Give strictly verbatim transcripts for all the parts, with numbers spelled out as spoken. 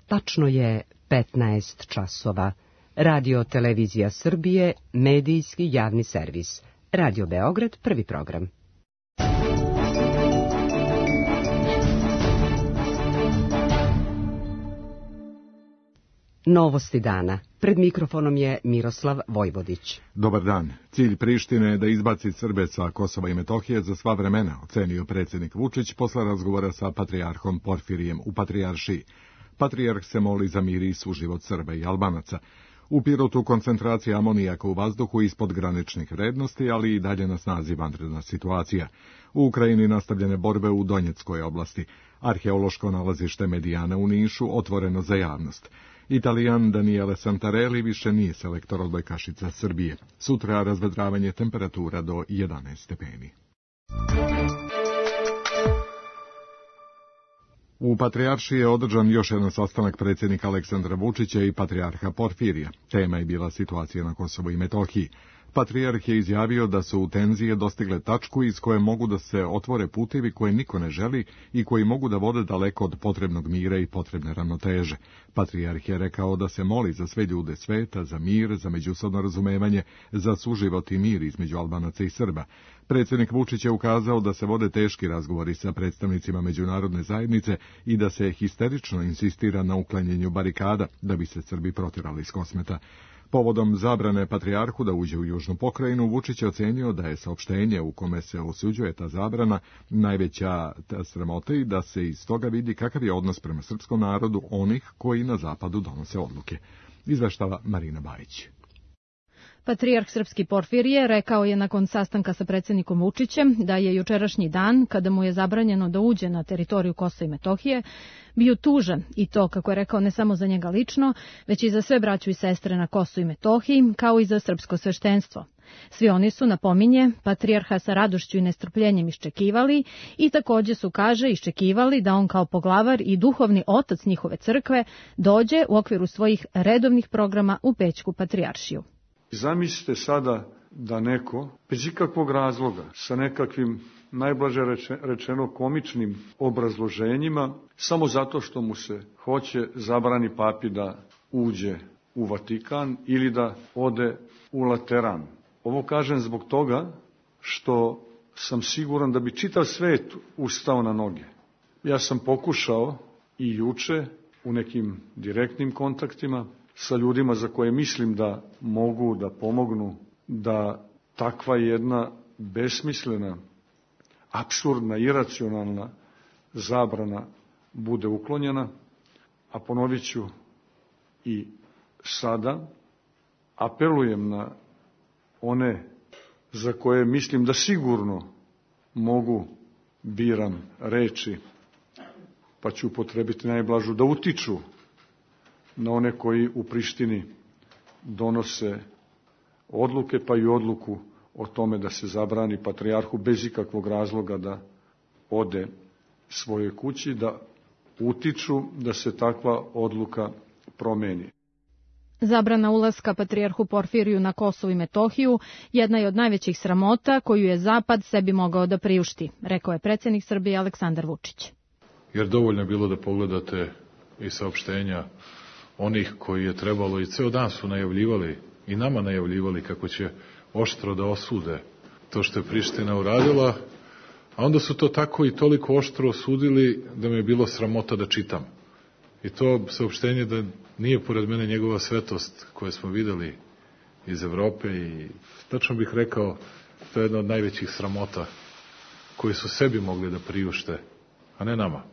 Tačno je petnaest časova. Radio Televizija Srbije, medijski javni servis. Radio Beograd, prvi program. Novosti dana. Pred mikrofonom je Miroslav Vojvodić. Dobar dan. Cilj Prištine je da izbaci Srbe sa Kosova i Metohije za sva vremena, ocenio predsjednik Vučić posle razgovora sa patrijarhom Porfirijem u Patrijaršiji. Patrijarh se moli za mir i suživot Srba i Albanaca. U Pirotu koncentracija amonijaka u vazduhu ispod graničnih vrednosti, ali i dalje na snazi vanredna situacija. U Ukrajini nastavljene borbe u Donjeckoj oblasti. Arheološko nalazište Medijana u Nišu otvoreno za javnost. Italijan Daniele Santarelli više nije selektor odbojkašica Srbije. Sutra razvedravanje temperatura do jedanaest stepeni. U Patrijaršiji je održan još jedan sastanak predsjednika Aleksandra Vučića i patrijarha Porfirija. Tema je bila situacija na Kosovu i Metohiji. Patrijarh je izjavio da su tenzije dostigle tačku iz koje mogu da se otvore putevi koje niko ne želi i koji mogu da vode daleko od potrebnog mira i potrebne ravnoteže. Patrijarh je rekao da se moli za sve ljude sveta, za mir, za međusobno razumevanje, za suživot i mir između Albanaca i Srba. Predsjednik Vučić je ukazao da se vode teški razgovori sa predstavnicima međunarodne zajednice i da se histerično insistira na uklanjanju barikada da bi se Srbi protjerali iz Kosmeta. Povodom zabrane patrijarhu da uđe u južnu pokrajinu, Vučić je ocenio da je saopštenje u kome se osuđuje ta zabrana najveća sramota i da se iz toga vidi kakav je odnos prema srpskom narodu onih koji na zapadu donose odluke. Izveštava Marina Bajić. Patrijarh srpski Porfirije rekao je nakon sastanka sa predsjednikom Vučićem da je jučerašnji dan, kada mu je zabranjeno da uđe na teritoriju Kosova i Metohije, bio tužan i to, kako je rekao, ne samo za njega lično, već i za sve braću i sestre na Kosovu i Metohiji, kao i za srpsko sveštenstvo. Svi oni su, napominje, patrijarha sa radošću i nestrpljenjem iščekivali i također su, kaže, iščekivali da on kao poglavar i duhovni otac njihove crkve dođe u okviru svojih redovnih programa u Pećku patrijaršiju. Zamislite sada da neko, bez ikakvog razloga, sa nekakvim najblaže rečeno komičnim obrazloženjima, samo zato što mu se hoće zabrani papi da uđe u Vatikan ili da ode u Lateran. Ovo kažem zbog toga što sam siguran da bi čitav svet ustao na noge. Ja sam pokušao i juče u nekim direktnim kontaktima sa ljudima za koje mislim da mogu da pomognu da takva jedna besmislena, apsurdna, iracionalna zabrana bude uklonjena, a ponovit ću i sada, apelujem na one za koje mislim da sigurno mogu, biram reči, pa ću upotrebiti najblažu, da utiču na one koji u Prištini donose odluke, pa i odluku o tome da se zabrani patrijarhu bez ikakvog razloga da ode svojoj kući, da utiču da se takva odluka promeni. Zabrana ulaska patrijarhu Porfiriju na Kosovu i Metohiju jedna je od najvećih sramota koju je Zapad sebi mogao da priušti, rekao je predsjednik Srbije Aleksandar Vučić. Jer dovoljno je bilo da pogledate i saopštenja onih koji je trebalo i ceo dan su najavljivali i nama najavljivali kako će oštro da osude to što je Priština uradila, a onda su to tako i toliko oštro osudili da mi je bilo sramota da čitam. I to saopštenje da nije pored mene njegova svetost koje smo videli iz Evrope i tačno bih rekao to je jedna od najvećih sramota koji su sebi mogli da priušte, a ne nama.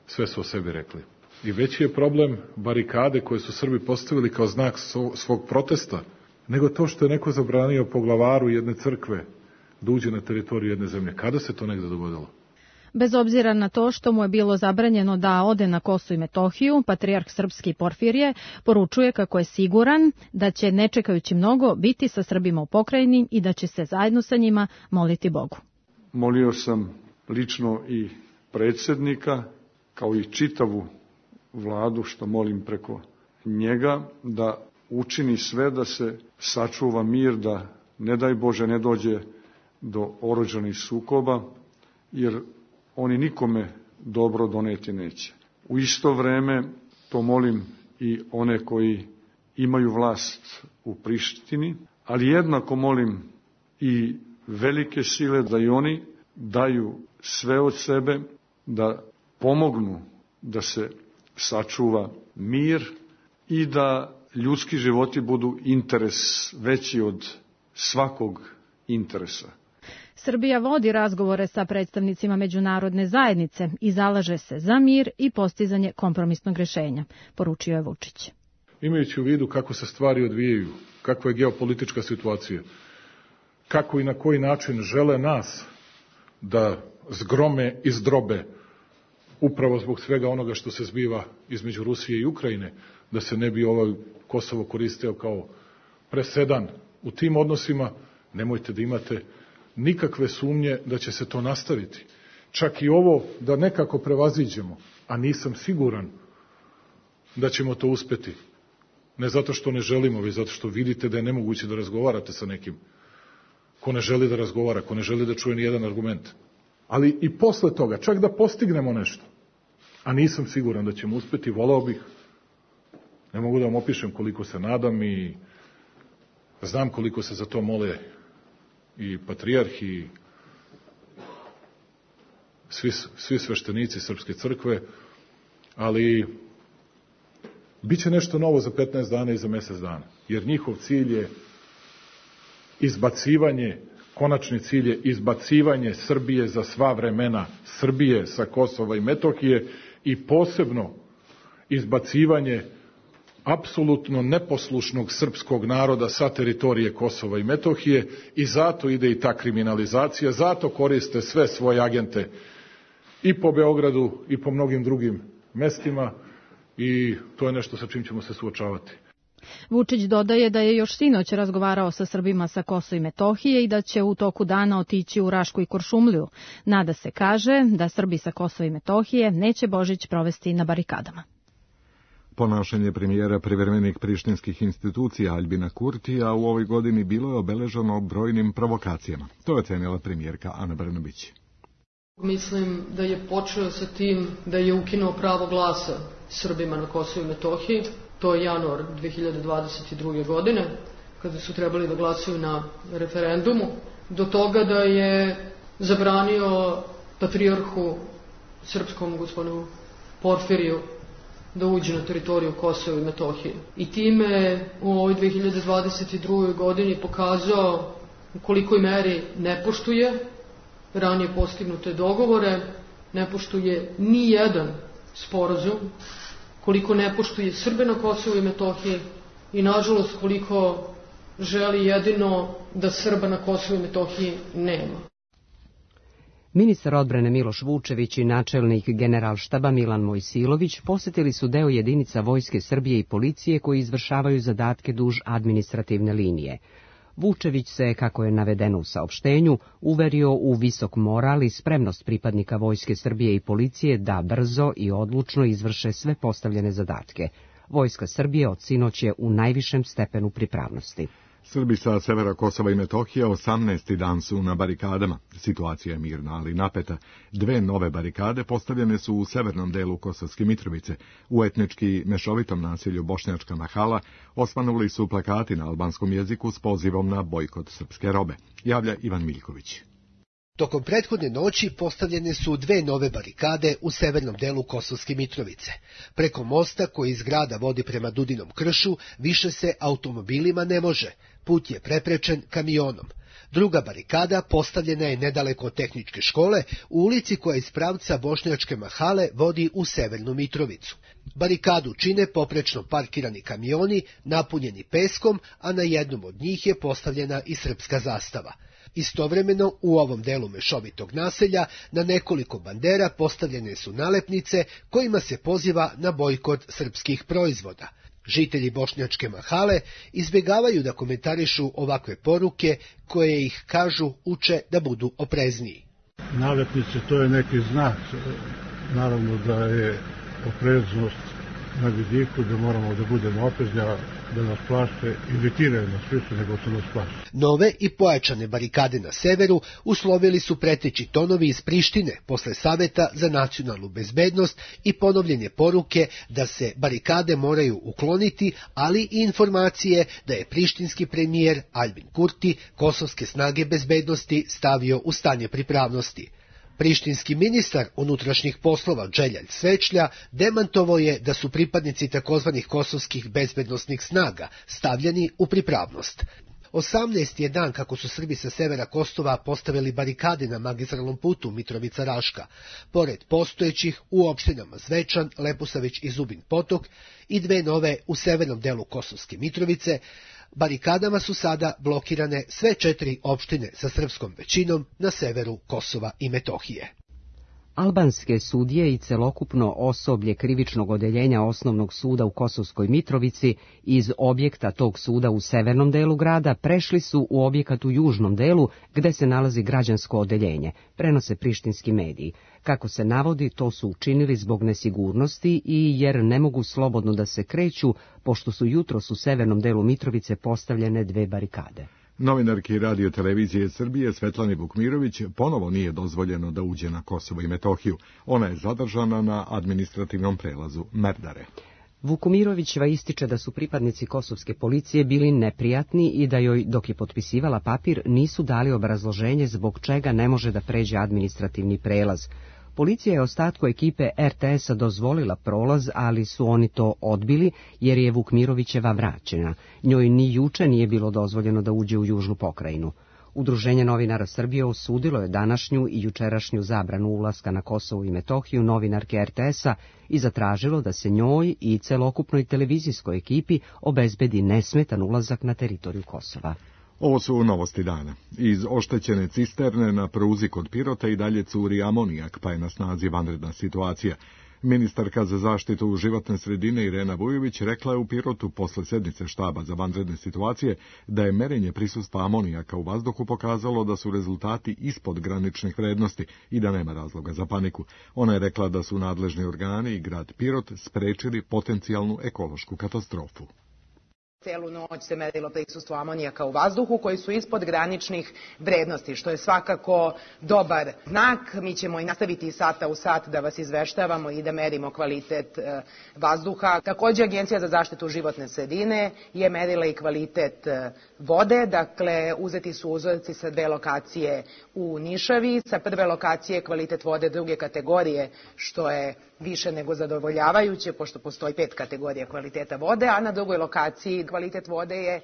Sve su o sebi rekli. I veći je problem barikade koje su Srbi postavili kao znak svog protesta, nego to što je neko zabranio poglavaru jedne crkve da uđe na teritoriju jedne zemlje. Kada se to negde dogodilo? Bez obzira na to što mu je bilo zabranjeno da ode na Kosovo i Metohiju, patrijarh srpski Porfirije poručuje kako je siguran da će, ne čekajući mnogo, biti sa Srbima u pokrajini i da će se zajedno sa njima moliti Bogu. Molio sam lično i predsjednika, kao i čitavu vladu, što molim preko njega, da učini sve da se sačuva mir, da ne daj Bože ne dođe do oružanih sukoba, jer oni nikome dobro doneti neće. U isto vreme to molim i one koji imaju vlast u Prištini, ali jednako molim i velike sile da i oni daju sve od sebe, da pomognu da se sačuva mir i da ljudski životi budu interes veći od svakog interesa. Srbija vodi razgovore sa predstavnicima međunarodne zajednice i zalaže se za mir i postizanje kompromisnog rešenja, poručio je Vučić. Imajući u vidu kako se stvari odvijaju, kakva je geopolitička situacija, kako i na koji način žele nas da zgrome i zdrobe upravo zbog svega onoga što se zbiva između Rusije i Ukrajine, da se ne bi ovaj Kosovo koristio kao presedan u tim odnosima, nemojte da imate nikakve sumnje da će se to nastaviti. Čak i ovo da nekako prevaziđemo, a nisam siguran da ćemo to uspeti. Ne zato što ne želimo, već zato što vidite da je nemoguće da razgovarate sa nekim ko ne želi da razgovara, ko ne želi da čuje ni jedan argument. Ali i posle toga, čak da postignemo nešto, a nisam siguran da ćemo uspeti, volao bih, ne mogu da vam opišem koliko se nadam i znam koliko se za to mole i patrijarh i svi, svi sveštenici Srpske crkve, ali biće nešto novo za petnaest dana i za mesec dana, jer njihov cilj je izbacivanje, konačni cilj je izbacivanje Srbije za sva vremena, Srbije sa Kosova i Metohije i posebno izbacivanje apsolutno neposlušnog srpskog naroda sa teritorije Kosova i Metohije i zato ide i ta kriminalizacija, zato koriste sve svoje agente i po Beogradu i po mnogim drugim mestima i to je nešto sa čim ćemo se suočavati. Vučić dodaje da je još sinoć razgovarao sa Srbima sa Kosova i Metohije i da će u toku dana otići u Rašku i Kuršumliju. Nada se, kaže, da Srbi sa Kosova i Metohije neće Božić provesti na barikadama. Ponašanje premijera privremenih prištinskih institucija Aljbina Kurtija u ovoj godini bilo je obeleženo brojnim provokacijama. To je ocenila premijerka Ana Brnabić. Mislim da je počeo sa tim da je ukinuo pravo glasa Srbima na Kosovu i Metohiji. To je januar dve hiljade dvadeset druge. godine, kada su trebali da glasaju na referendumu. Do toga da je zabranio patrijarhu srpskom gospodinu Porfiriju da uđe na teritoriju Kosova i Metohije. I time u ovoj dve hiljade dvadeset drugoj. godini pokazao u kolikoj meri ne poštuje ranije postignute dogovore, ne poštuje ni jedan sporazum, koliko ne poštuje Srbe na Kosovu i Metohiji i nažalost koliko želi jedino da Srba na Kosovu i Metohiji nema. Ministar odbrane Miloš Vučević i načelnik Generalštaba Milan Mojsilović posetili su deo jedinica Vojske Srbije i policije koji izvršavaju zadatke duž administrativne linije. Vučević se, kako je navedeno u saopštenju, uverio u visok moral i spremnost pripadnika Vojske Srbije i policije da brzo i odlučno izvrše sve postavljene zadatke. Vojska Srbije od sinoć je u najvišem stepenu pripravnosti. Srbi sa severa Kosova i Metohije osamnaesti dan su na barikadama. Situacija je mirna, ali napeta. Dve nove barikade postavljene su u severnom delu Kosovske Mitrovice. U etnički mešovitom naselju Bošnjačka Mahala osvanuli su plakati na albanskom jeziku s pozivom na bojkot srpske robe. Javlja Ivan Miljković. Tokom prethodne noći postavljene su dve nove barikade u severnom delu Kosovske Mitrovice. Preko mosta koji iz grada vodi prema Dudinom kršu više se automobilima ne može. Put je preprečen kamionom. Druga barikada postavljena je nedaleko od tehničke škole u ulici koja iz pravca Bošnjačke Mahale vodi u severnu Mitrovicu. Barikadu čine poprečno parkirani kamioni napunjeni peskom, a na jednom od njih je postavljena i srpska zastava. Istovremeno u ovom delu mešovitog naselja na nekoliko bandera postavljene su nalepnice kojima se poziva na bojkot srpskih proizvoda. Žitelji Bošnjačke Mahale izbjegavaju da komentarišu ovakve poruke koje ih, kažu, uče da budu oprezniji. Nalepnice, to je neki znak, naravno da je opreznost na vidiku, da moramo da budemo oprezni, da nas plaše, iritiraju nas više nego što nas plaše. Nove i pojačane barikade na severu uslovili su preteći tonovi iz Prištine posle Saveta za nacionalnu bezbednost i ponovljenje poruke da se barikade moraju ukloniti, ali i informacije da je prištinski premijer Albin Kurti kosovske snage bezbednosti stavio u stanje pripravnosti. Prištinski ministar unutrašnjih poslova Dželjal Svečlja demantovao je da su pripadnici takozvanih kosovskih bezbednosnih snaga stavljeni u pripravnost. osamnaesti je dan kako su Srbi sa severa Kosova postavili barikade na magistralnom putu Mitrovica-Raška, pored postojećih u opštinama Zvečan, Leposavić i Zubin Potok i dve nove u severnom delu Kosovske Mitrovice. Barikadama su sada blokirane sve četiri opštine sa srpskom većinom na severu Kosova i Metohije. Albanske sudije i celokupno osoblje krivičnog odeljenja Osnovnog suda u Kosovskoj Mitrovici iz objekta tog suda u severnom delu grada prešli su u objekat u južnom delu gde se nalazi građansko odeljenje, prenose prištinski mediji. Kako se navodi, to su učinili zbog nesigurnosti i jer ne mogu slobodno da se kreću, pošto su jutros u severnom delu Mitrovice postavljene dve barikade. Novinarki Radio televizije Srbije Svetlani Vukmirović ponovo nije dozvoljeno da uđe na Kosovo i Metohiju. Ona je zadržana na administrativnom prelazu Merdare. Vukomirovićeva ističe da su pripadnici kosovske policije bili neprijatni i da joj, dok je potpisivala papir, nisu dali obrazloženje zbog čega ne može da pređe administrativni prelaz. Policija je ostatku ekipe er te es-a dozvolila prolaz, ali su oni to odbili jer je Vukmirovićeva vraćena. Njoj ni juče nije bilo dozvoljeno da uđe u južnu pokrajinu. Udruženje novinara Srbije osudilo je današnju i jučerašnju zabranu ulaska na Kosovo i Metohiju novinarke er te es-a i zatražilo da se njoj i celokupnoj televizijskoj ekipi obezbedi nesmetan ulazak na teritoriju Kosova. Ovo su novosti dana. Iz oštećene cisterne na pruzi kod Pirota i dalje curi amonijak, pa je na snazi vanredna situacija. Ministarka za zaštitu životne sredine Irena Vujović rekla je u Pirotu posle sednice štaba za vanredne situacije da je merenje prisustva amonijaka u vazduhu pokazalo da su rezultati ispod graničnih vrednosti i da nema razloga za paniku. Ona je rekla da su nadležni organi i grad Pirot sprečili potencijalnu ekološku katastrofu. Celu noć se merilo prisustvo amonijaka u vazduhu koji su ispod graničnih vrednosti, što je svakako dobar znak. Mi ćemo i nastaviti iz sata u sat da vas izveštavamo i da merimo kvalitet vazduha. Također, Agencija za zaštitu životne sredine je merila i kvalitet vode, dakle uzeti su uzorci sa dve lokacije u Nišavi, sa prve lokacije kvalitet vode druge kategorije, što je više nego zadovoljavajuće, pošto postoji pet kategorija kvaliteta vode, a na drugoj lokaciji kvalitet vode je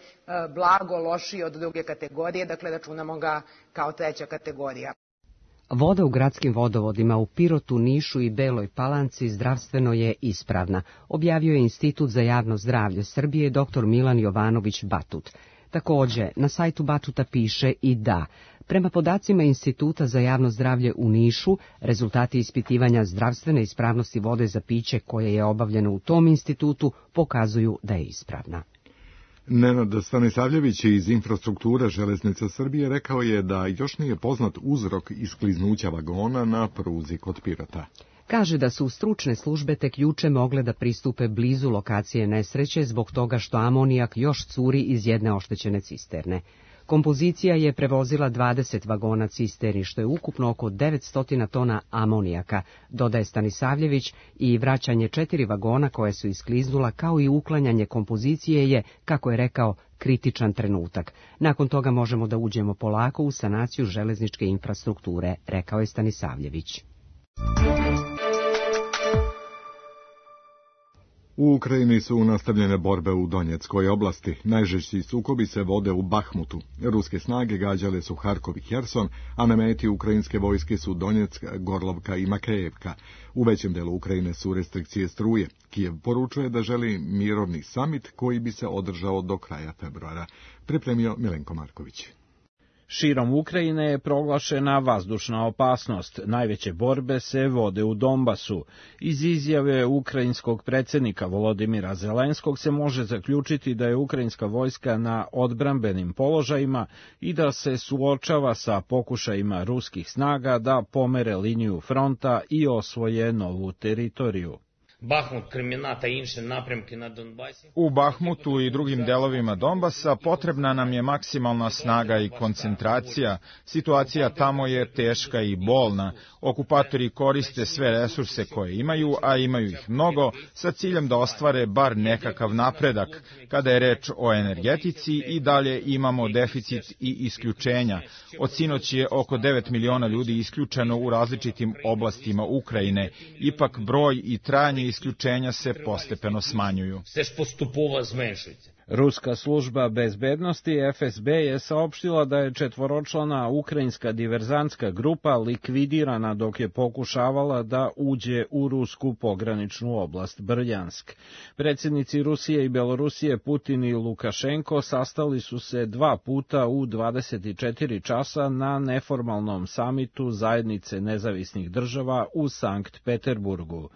blago lošiji od druge kategorije, dakle računamo ga kao treća kategorija. Voda u gradskim vodovodima u Pirotu, Nišu i Beloj Palanci zdravstveno je ispravna, objavio je Institut za javno zdravlje Srbije dr Milan Jovanović Batut. Također, na sajtu Batuta piše i da, prema podacima Instituta za javno zdravlje u Nišu, rezultati ispitivanja zdravstvene ispravnosti vode za piće koje je obavljeno u tom institutu pokazuju da je ispravna. Nenad Stanisavljević iz infrastrukture Železnica Srbije rekao je da još nije poznat uzrok iskliznuća vagona na pruzi kod Pirota. Kaže da su stručne službe tek juče mogle da pristupe blizu lokacije nesreće zbog toga što amonijak još curi iz jedne oštećene cisterne. Kompozicija je prevozila dvadeset vagona cisterni, što je ukupno oko devetsto tona amonijaka, dodaje Stanisavljević, i vraćanje četiri vagona koje su iskliznula kao i uklanjanje kompozicije je, kako je rekao, kritičan trenutak. Nakon toga možemo da uđemo polako u sanaciju železničke infrastrukture, rekao je Stanisavljević. U Ukrajini su nastavljene borbe u Donjeckoj oblasti. Najžešći sukobi se vode u Bahmutu. Ruske snage gađale su Harkov i Herson, a na meti ukrajinske vojske su Donjeck, Gorlovka i Makejevka. U većem delu Ukrajine su restrikcije struje. Kijev poručuje da želi mirovni samit koji bi se održao do kraja februara. Pripremio Milenko Marković. Širom Ukrajine je proglašena vazdušna opasnost. Najveće borbe se vode u Donbasu. Iz izjave ukrajinskog predsjednika Volodimira Zelenskog se može zaključiti da je ukrajinska vojska na odbrambenim položajima i da se suočava sa pokušajima ruskih snaga da pomere liniju fronta i osvoje novu teritoriju. U Bahmutu i drugim delovima Donbasa potrebna nam je maksimalna snaga i koncentracija. Situacija tamo je teška i bolna. Okupatori koriste sve resurse koje imaju, a imaju ih mnogo, sa ciljem da ostvare bar nekakav napredak. Kada je reč o energetici, i dalje imamo deficit i isključenja. Od sinoć je oko devet miliona ljudi isključeno u različitim oblastima Ukrajine. Ipak broj i trajanje isključenja se postepeno smanjuju. Ruska služba bezbednosti F S B je saopštila da je četvoročlana ukrajinska diverzantska grupa likvidirana dok je pokušavala da uđe u rusku pograničnu oblast Brljansk. Predsjednici Rusije i Belorusije Putin i Lukašenko sastali su se dva puta u dvadeset četiri časa na neformalnom samitu Zajednice nezavisnih država u Sankt Peterburgu.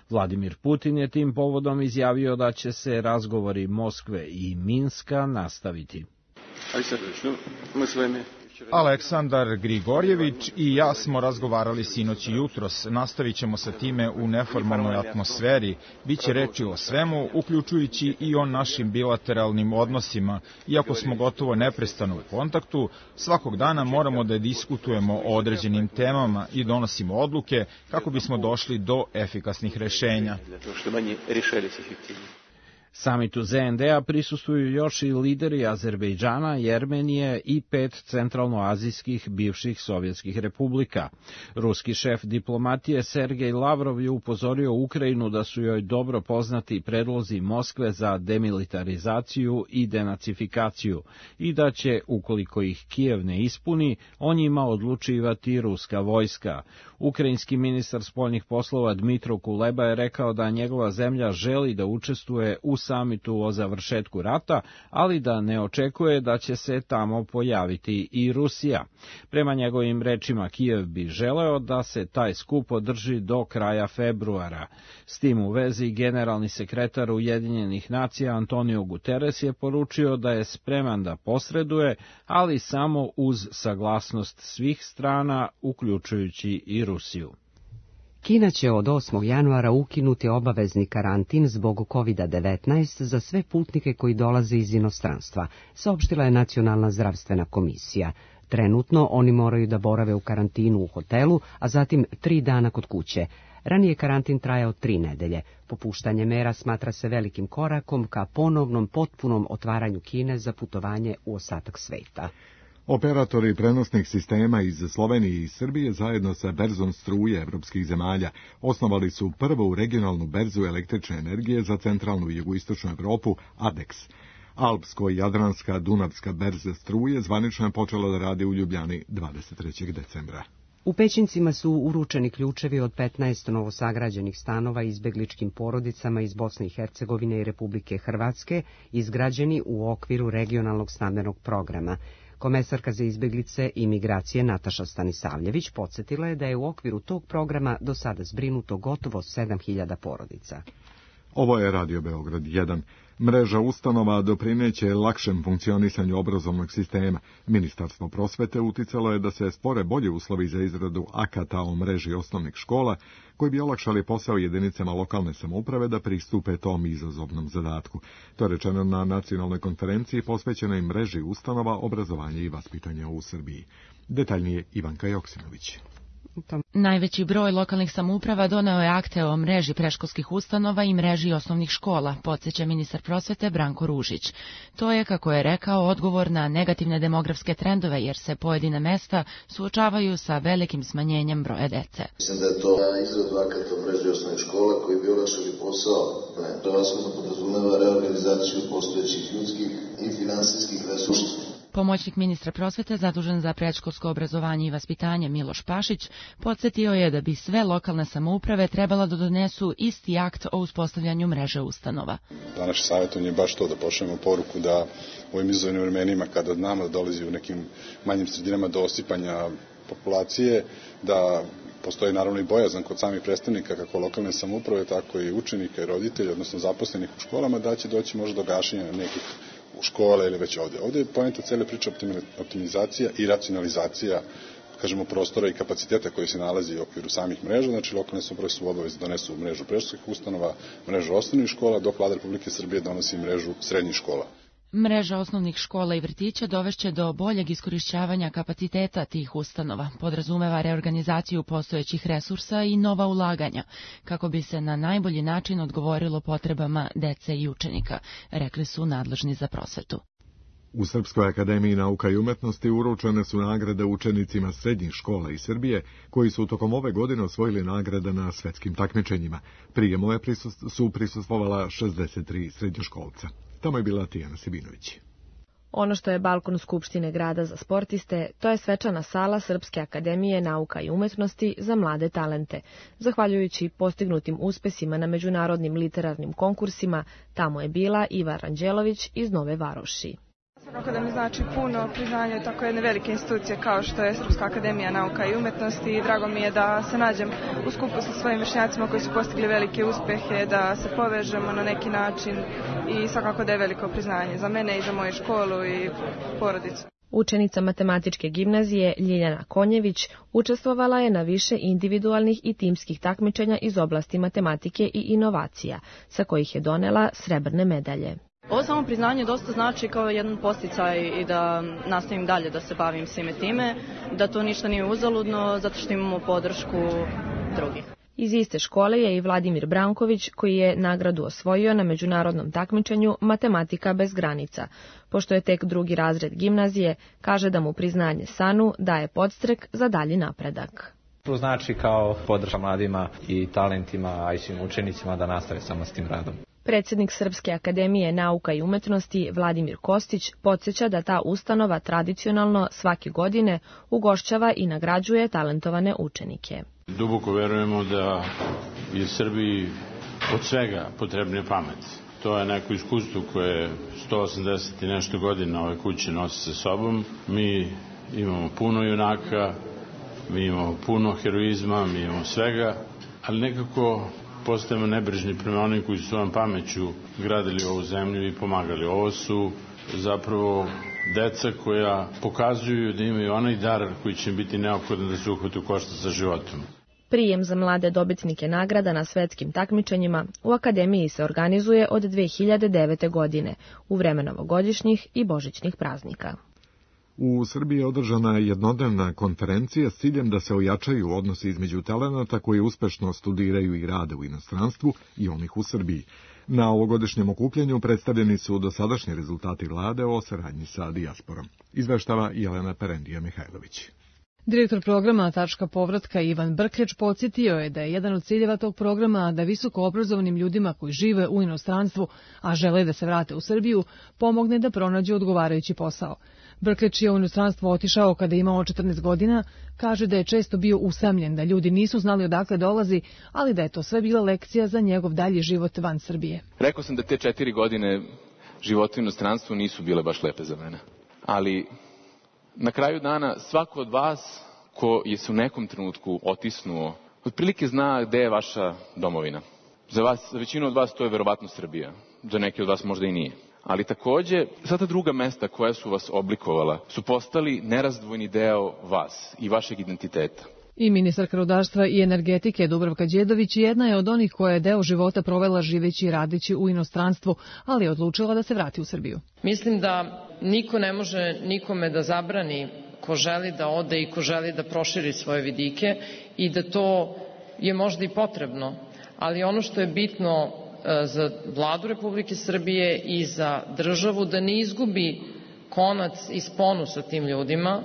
Vladimir Putin je tim povodom izjavio da će se razgovori Moskve i Minska nastaviti. Aleksandar Grigorjević i ja smo razgovarali sinoć i jutros. Nastavit ćemo sa time u neformalnoj atmosferi. Biće reči o svemu, uključujući i o našim bilateralnim odnosima. Iako smo gotovo neprestano u kontaktu, svakog dana moramo da diskutujemo o određenim temama i donosimo odluke kako bismo došli do efikasnih rešenja. Samitu Z N D-a prisustvuju još i lideri Azerbejdžana, Jermenije i pet centralnoazijskih bivših sovjetskih republika. Ruski šef diplomatije Sergej Lavrov je upozorio Ukrajinu da su joj dobro poznati predlozi Moskve za demilitarizaciju i denacifikaciju i da će, ukoliko ih Kijev ne ispuni, o njima odlučivati ruska vojska. Ukrajinski ministar spoljnih poslova Dmitro Kuleba je rekao da njegova zemlja želi da učestvuje u samitu o završetku rata, ali da ne očekuje da će se tamo pojaviti i Rusija. Prema njegovim rečima, Kijev bi želeo da se taj skup održi do kraja februara. S tim u vezi, generalni sekretar Ujedinjenih nacija Antonio Guterres je poručio da je spreman da posreduje, ali samo uz saglasnost svih strana, uključujući i Rusiju. Kina će od osmog januara ukinuti obavezni karantin zbog kovid devetnaest za sve putnike koji dolaze iz inostranstva, saopštila je Nacionalna zdravstvena komisija. Trenutno oni moraju da borave u karantinu u hotelu, a zatim tri dana kod kuće. Ranije karantin trajao tri nedelje. Popuštanje mera smatra se velikim korakom ka ponovnom potpunom otvaranju Kine za putovanje u ostatak sveta. Operatori prenosnih sistema iz Slovenije i Srbije zajedno sa berzom struje evropskih zemalja osnovali su prvu regionalnu berzu električne energije za centralnu i jugoistočnu Evropu, ADEX. Alpsko-Jadranska Dunavska berza struje zvanično je počela da radi u Ljubljani dvadeset trećeg decembra. U Pećincima su uručeni ključevi od petnaest novosagrađenih stanova izbegličkim porodicama iz Bosne i Hercegovine i Republike Hrvatske, izgrađeni u okviru regionalnog stambenog programa. Komesarka za izbeglice i migracije Nataša Stanisavljević podsjetila je da je u okviru tog programa do sada zbrinuto gotovo sedam hiljada porodica. Ovo je Radio Beograd jedan. Mreža ustanova doprineće lakšem funkcionisanju obrazovnog sistema. Ministarstvo prosvete uticalo je da se stvore bolje uslovi za izradu akata o mreži osnovnih škola, koji bi olakšali posao jedinicama lokalne samouprave da pristupe tom izazovnom zadatku. To je rečeno na nacionalnoj konferenciji posvećenoj mreži ustanova obrazovanja i vaspitanja u Srbiji. Detaljnije Ivanka Joksimović. Najveći broj lokalnih samouprava doneo je akte o mreži predškolskih ustanova i mreži osnovnih škola, podsjeća ministar prosvete Branko Ružić. To je, kako je rekao, odgovor na negativne demografske trendove, jer se pojedine mesta suočavaju sa velikim smanjenjem broja dece. Mislim da je to izradu akata o mreži osnovnih škola koji bi olakšali posao. To vasno podrazumeva reorganizaciju postojećih ljudskih i finansijskih resursa. Pomoćnik ministra prosvete zadužen za predškolsko obrazovanje i vaspitanje Miloš Pašić podsjetio je da bi sve lokalne samouprave trebala da donesu isti akt o uspostavljanju mreže ustanova. Naše savjetovanje je baš to, da pošaljemo poruku da u ovim izazovnim vremenima kada nama dolazi u nekim manjim sredinama do osipanja populacije, da postoji naravno i bojazan kod samih predstavnika kako lokalne samouprave, tako i učenika i roditelja, odnosno zaposlenih u školama, da će doći možda do gašenja nekih u škole ili već ovdje. Ovdje je poenta cele priče optimizacija i racionalizacija kažemo, prostora i kapaciteta koji se nalazi u okviru samih mreža. Znači, lokalne samouprave su obavezne da donesu mrežu predškolskih ustanova, mrežu osnovnih škola, dok Vlada Republike Srbije donosi mrežu srednjih škola. Mreža osnovnih škola i vrtića dovešće do boljeg iskorišćavanja kapaciteta tih ustanova, podrazumeva reorganizaciju postojećih resursa i nova ulaganja, kako bi se na najbolji način odgovorilo potrebama dece i učenika, rekli su nadležni za prosvetu. U Srpskoj akademiji nauka i umetnosti uručene su nagrade učenicima srednjih škola iz Srbije, koji su tokom ove godine osvojili nagrade na svetskim takmičenjima. Prijemu je prisust, su prisustvovala šezdeset tri srednjoškolca. Tamo je bila Tijana Sibinović. Ono što je balkon Skupštine grada za sportiste, to je svečana sala Srpske akademije nauka i umetnosti za mlade talente. Zahvaljujući postignutim uspesima na međunarodnim literarnim konkursima, tamo je bila Iva Ranđelović iz Nove Varoši. Svakako da mi znači puno priznanje tako jedne velike institucije kao što je Srpska akademija nauka i umetnosti i drago mi je da se nađem u skupu sa svojim vršnjacima koji su postigli velike uspehe, da se povežemo na neki način i svakako da je veliko priznanje za mene i za moju školu i porodicu. Učenica matematičke gimnazije Ljiljana Konjević učestvovala je na više individualnih i timskih takmičenja iz oblasti matematike i inovacija, sa kojih je donela srebrne medalje. Ovo samo priznanje dosta znači kao jedan podsticaj i da nastavim dalje da se bavim svime time, da to ništa nije uzaludno zato što imamo podršku drugih. Iz iste škole je i Vladimir Branković, koji je nagradu osvojio na međunarodnom takmičenju Matematika bez granica. Pošto je tek drugi razred gimnazije, kaže da mu priznanje SANU daje podstrek za dalji napredak. To znači kao podrška mladima i talentima, a i svim učenicima da nastave samo s tim radom. Predsjednik Srpske akademije nauka i umetnosti Vladimir Kostić podsjeća da ta ustanova tradicionalno svake godine ugošćava i nagrađuje talentovane učenike. Duboko verujemo da je Srbiji od svega potrebnija pamet. To je neko iskustvo koje sto osamdeset i nešto godina ove kuće nosi sa sobom. Mi imamo puno junaka, mi imamo puno heroizma, mi imamo svega, ali nekako postajemo nebrižni prema onim koji su svojom pameću gradili ovu zemlju i pomagali. Ovo su zapravo deca koja pokazuju da imaju onaj dar koji će im biti neophodan da se uhvate u koštac sa životom. Prijem za mlade dobitnike nagrada na svetskim takmičenjima u Akademiji se organizuje od dve hiljade devete. godine, u vreme novogodišnjih i božićnih praznika. U Srbiji je održana jednodnevna konferencija s ciljem da se ojačaju odnosi između talenata koji uspešno studiraju i rade u inostranstvu i onih u Srbiji. Na ovogodišnjem okupljanju predstavljeni su dosadašnji rezultati vlade o saradnji sa dijasporom. Izveštava Jelena Perendija-Mihajlović. Direktor programa Tačka povratka Ivan Brkeć podsjetio je da je jedan od ciljeva tog programa da visoko obrazovanim ljudima koji žive u inostranstvu, a žele da se vrate u Srbiju, pomogne da pronađu odgovarajući posao. Brkeć je u inostranstvo otišao kada je imao četrnaest godina, kaže da je često bio usamljen, da ljudi nisu znali odakle dolazi, ali da je to sve bila lekcija za njegov dalji život van Srbije. Rekao sam da te četiri godine života u inostranstvu nisu bile baš lepe za mene, ali na kraju dana svako od vas ko je se u nekom trenutku otisnuo, otprilike zna gde je vaša domovina. Za vas, za većinu od vas to je verovatno Srbija, za neke od vas možda i nije. Ali takođe, sva ta druga mesta koja su vas oblikovala su postali nerazdvojni deo vas i vašeg identiteta. I ministarka rudarstva i energetike Dubravka Đedović jedna je od onih koja je deo života provela živeći i radeći u inostranstvu, ali je odlučila da se vrati u Srbiju. Mislim da niko ne može nikome da zabrani ko želi da ode i ko želi da proširi svoje vidike i da to je možda i potrebno, ali ono što je bitno za Vladu Republike Srbije i za državu da ne izgubi konac i sponu sa tim ljudima,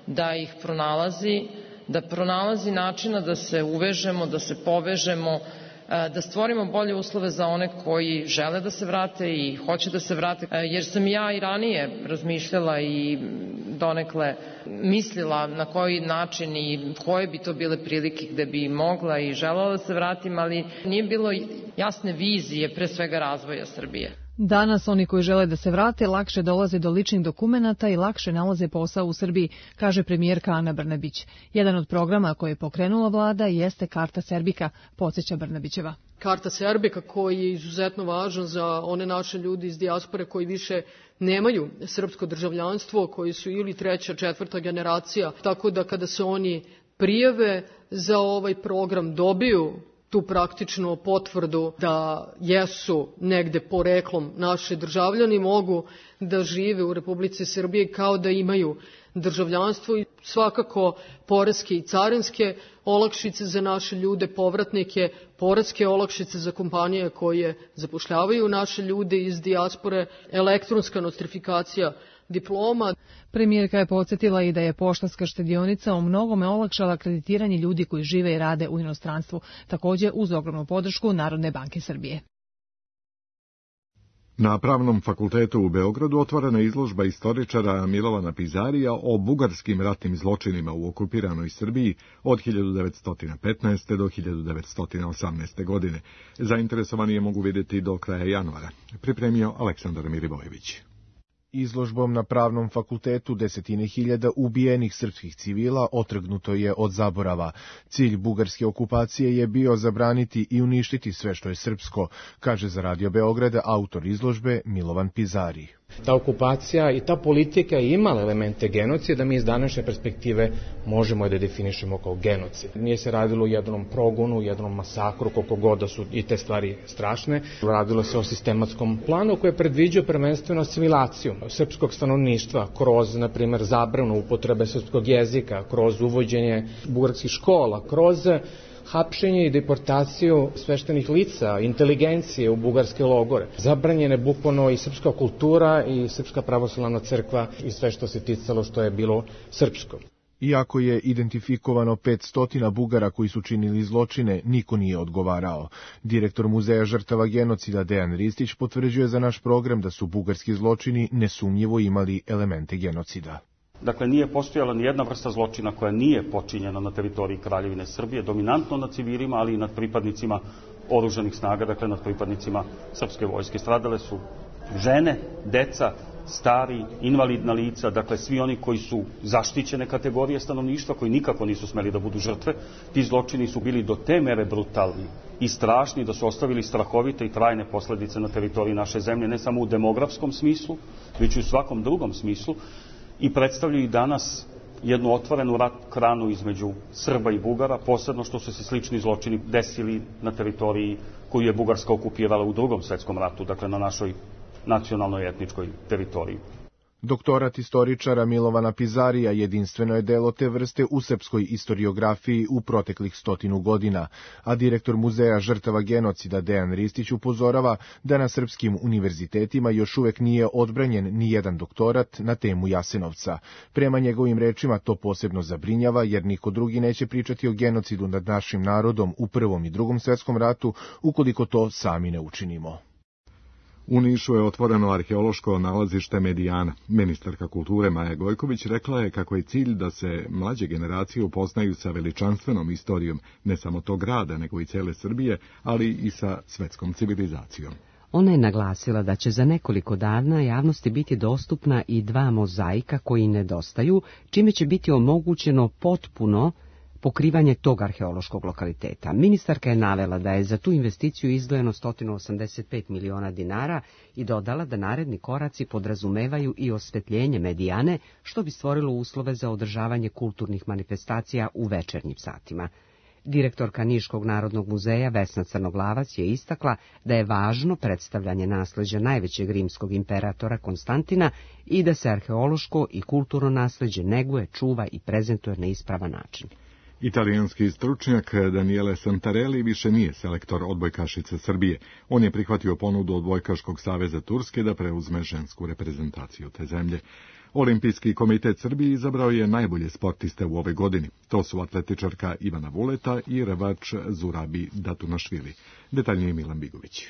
da ih pronalazi, da pronalazi načina da se uvežemo, da se povežemo, da stvorimo bolje uslove za one koji žele da se vrate i hoće da se vrate, jer sam ja i ranije razmišljala i donekle mislila na koji način i koje bi to bile prilike gde bi mogla i želela da se vratim, ali nije bilo jasne vizije, pre svega razvoja Srbije. Danas oni koji žele da se vrate lakše dolaze do ličnih dokumenata i lakše nalaze posao u Srbiji, kaže premijerka Ana Brnabić. Jedan od programa koje je pokrenula vlada jeste Karta Serbika, podsjeća Brnabićeva. Karta Serbika koji je izuzetno važan za one naše ljudi iz dijaspore koji više nemaju srpsko državljanstvo, koji su ili treća, četvrta generacija, tako da kada se oni prijave za ovaj program dobiju tu praktično potvrdu da jesu negde poreklom naši državljani, mogu da žive u Republici Srbiji kao da imaju državljanstvo i svakako poreske i carinske olakšice za naše ljude, povratnike, poreske olakšice za kompanije koje zapošljavaju naše ljude iz dijaspore, elektronska nostrifikacija diploma. Premijerka je podsjetila i da je Poštanska štedionica u mnogome olakšala kreditiranje ljudi koji žive i rade u inostranstvu, također uz ogromnu podršku Narodne banke Srbije. Na Pravnom fakultetu u Beogradu otvorena je izložba istoričara Milovana Pizarija o bugarskim ratnim zločinima u okupiranoj Srbiji od hiljadu devetsto petnaeste. do hiljadu devetsto osamnaeste. godine. Zainteresovani je mogu vidjeti do kraja januara. Pripremio Aleksandar Mirivojević. Izložbom na Pravnom fakultetu desetine hiljada ubijenih srpskih civila otrgnuto je od zaborava. Cilj bugarske okupacije je bio zabraniti i uništiti sve što je srpsko, kaže za Radio Beograda autor izložbe Milovan Pizari. Ta okupacija i ta politika je imala elemente genocida, mi iz današnje perspektive možemo je da definišemo kao genocid. Nije se radilo o jednom progonu, jednom masakru, koliko god da su i te stvari strašne. Radilo se o sistematskom planu koji je predviđao prvenstveno asimilaciju srpskog stanovništva kroz, na primjer, zabranu upotrebe srpskog jezika, kroz uvođenje bugarskih škola, kroz hapšenje i deportaciju sveštenih lica, inteligencije u bugarske logore. Zabranjene bukvalno i srpska kultura i srpska pravoslavna crkva i sve što se ticalo što je bilo srpsko. Iako je identifikovano petsto Bugara koji su činili zločine, niko nije odgovarao. Direktor Muzeja žrtava genocida Dejan Ristić potvrđuje za naš program da su bugarski zločini nesumnjivo imali elemente genocida. Dakle, nije postojala ni jedna vrsta zločina koja nije počinjena na teritoriji Kraljevine Srbije, dominantno nad civilima, ali i nad pripadnicima oružanih snaga, dakle nad pripadnicima srpske vojske. Stradale su žene, deca, stari, invalidna lica, dakle svi oni koji su zaštićene kategorije stanovništva, koji nikako nisu smeli da budu žrtve. Ti zločini su bili do te mere brutalni i strašni da su ostavili strahovite i trajne posledice na teritoriji naše zemlje, ne samo u demografskom smislu, već i u svakom drugom smislu, i predstavljaju i danas jednu otvorenu rat kranu između Srba i Bugara, posebno što su se slični zločini desili na teritoriji koju je Bugarska okupirala u Drugom svetskom ratu, dakle na našoj nacionalnoj etničkoj teritoriji. Doktorat istoričara Milovana Pizarija jedinstveno je delo te vrste u srpskoj istoriografiji u proteklih stotinu godina, a direktor Muzeja žrtava genocida Dejan Ristić upozorava da na srpskim univerzitetima još uvek nije odbranjen ni jedan doktorat na temu Jasenovca. Prema njegovim rečima to posebno zabrinjava jer niko drugi neće pričati o genocidu nad našim narodom u Prvom i Drugom svetskom ratu ukoliko to sami ne učinimo. U Nišu je otvoreno arheološko nalazište Medijana. Ministarka kulture Maja Gojković rekla je kako je cilj da se mlađe generacije upoznaju sa veličanstvenom istorijom ne samo tog grada, nego i cele Srbije, ali i sa svetskom civilizacijom. Ona je naglasila da će za nekoliko dana javnosti biti dostupna i dva mozaika koji nedostaju, čime će biti omogućeno potpuno pokrivanje tog arheološkog lokaliteta. Ministarka je navela da je za tu investiciju izdvojeno sto osamdeset pet miliona dinara i dodala da naredni koraci podrazumevaju i osvetljenje Medijane, što bi stvorilo uslove za održavanje kulturnih manifestacija u večernjim satima. Direktorka Niškog narodnog muzeja Vesna Crnoglavac je istakla da je važno predstavljanje nasleđa najvećeg rimskog imperatora Konstantina i da se arheološko i kulturno nasleđe neguje, čuva i prezentuje na ispravan način. Italijanski stručnjak Daniele Santarelli više nije selektor odbojkašice Srbije. On je prihvatio ponudu Odbojkaškog saveza Turske da preuzme žensku reprezentaciju te zemlje. Olimpijski komitet Srbije izabrao je najbolje sportiste u ovoj godini. To su atletičarka Ivana Vuleta i rvač Zurabi Datunašvili. Detaljnije Milan Bigović.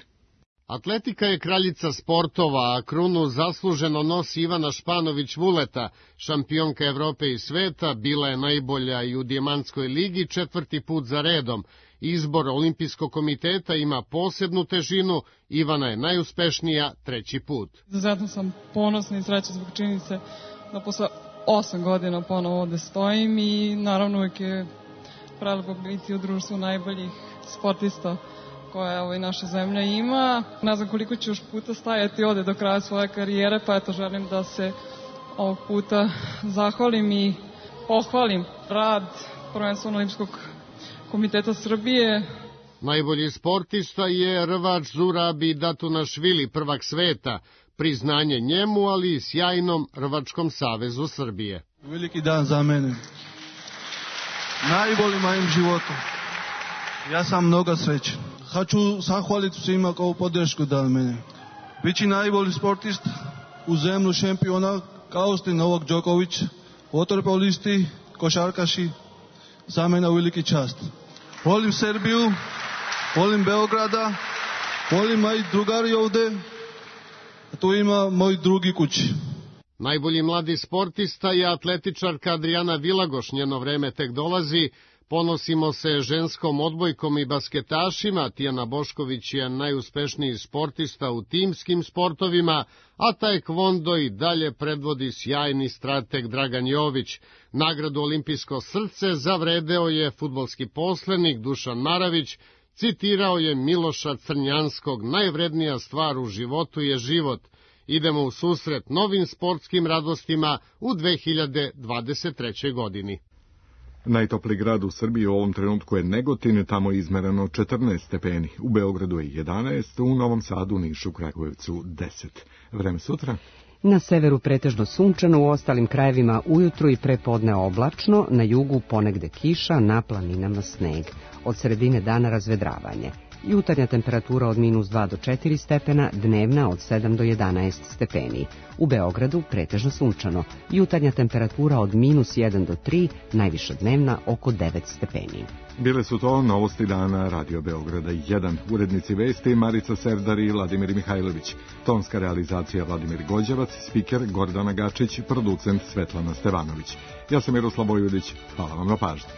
Atletika je kraljica sportova, a krunu zasluženo nosi Ivana Španović-Vuleta, šampionka Evrope i sveta, bila je najbolja i u Dijamantskoj ligi četvrti put za redom. Izbor Olimpijskog komiteta ima posebnu težinu, Ivana je najuspešnija treći put. Izuzetno sam ponosna i srećna zbog činjenice da posle osam godina ponovo ovde stojim i naravno uvijek je prelepo biti u društvu najboljih sportista koje ovaj, naša zemlja ima. Ne znam koliko ću još puta stajati ovde do kraja svoje karijere, pa eto želim da se ovog puta zahvalim i pohvalim rad prvenstveno Olimpijskog komiteta Srbije. Najbolji sportista je rvač Zurabi Datunašvili, prvak sveta. Priznanje njemu, ali i sjajnom Rvačkom savezu Srbije. Veliki dan za mene. Najbolji mojem životu. Ja sam mnogo srećen. Хочу zahvaliti svima kao podršku dali mene. Bići najbolji sportist u zemlju šampiona kao što je Novak Đoković, vaterpolisti, košarkaši, za mene veliki čast. Volim Srbiju, volim Beograda, volim moji drugari ovde, a tu ima moj drugi kući. Najbolji mladi sportista je atletičarka Adriana Vilagoš, njeno vreme tek dolazi. Ponosimo se ženskom odbojkom i basketašima, Tijana Bošković je najuspešniji sportista u timskim sportovima, a taekwondo i dalje predvodi sjajni strateg Dragan Jović. Nagradu Olimpijsko srce zavredeo je fudbalski poslenik Dušan Maravić, citirao je Miloša Crnjanskog, najvrednija stvar u životu je život. Idemo u susret novim sportskim radostima u dve hiljade dvadeset trećoj godini. Najtopliji grad u Srbiji u ovom trenutku je Negotin, tamo je izmereno četrnaest stepeni, u Beogradu je jedanaest, u Novom Sadu, Nišu, Kragujevcu deset. Vreme sutra? Na severu pretežno sunčano, u ostalim krajevima ujutru i prepodne oblačno, na jugu ponegde kiša, na planinama sneg. Od sredine dana razvedravanje. Jutarnja temperatura od minus dva do četiri stepena, dnevna od sedam do jedanaest stepeni. U Beogradu pretežno sunčano. Jutarnja temperatura od minus jedan do tri, najviša dnevna oko devet stepeni. Bile su to novosti dana Radio Beograda jedan. Urednici vesti Marica Serdar i Vladimir Mihajlović. Tonska realizacija Vladimir Gođevac, spiker Gordana Gačić, producent Svetlana Stevanović. Ja sam Miroslav Bojudić. Hvala vam na pažnji.